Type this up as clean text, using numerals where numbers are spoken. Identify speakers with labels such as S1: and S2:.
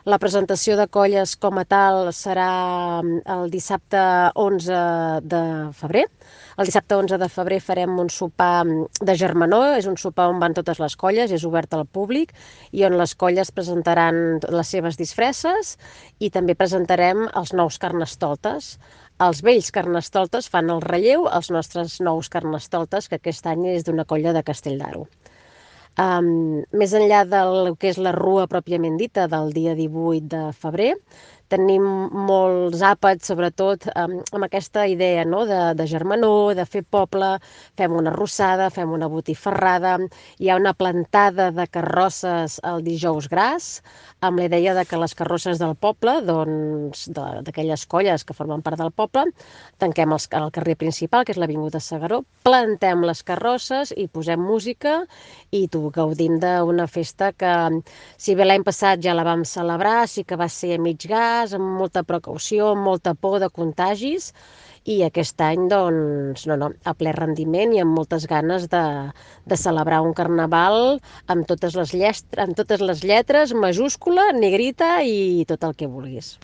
S1: La presentació de colles com a tal serà el dissabte 11 de febrer. El dissabte 11 de febrer farem un sopar de germanor, és un sopar on van totes les colles, és obert al públic i on les colles presentaran les seves disfresses i també presentarem els nous carnestoltes. Els vells carnestoltes fan el relleu als nostres nous carnestoltes, que aquest any és d'una colla de Castell d'Aro. Més enllà del que és la rua pròpiament dita del dia 18 de febrer, tenim molts àpats, sobretot amb aquesta idea, no? de germanor, de fer poble, fem una arrossada, fem una botifarrada, hi ha una plantada de carrosses el dijous gras, amb la idea de que les carrosses del poble, doncs, d'aquelles colles que formen part del poble, tanquem el carrer principal, que és l'Avinguda Segaró, plantem les carrosses i posem música i gaudim d'una festa que, si bé l'any passat ja la vam celebrar, sí que va ser a mig gas, amb molta precaució, amb molta por de contagis, i aquest any, doncs, no, a ple rendiment i amb moltes ganes de celebrar un carnaval amb totes les lletres, majúscula, negrita i tot el que vulguis.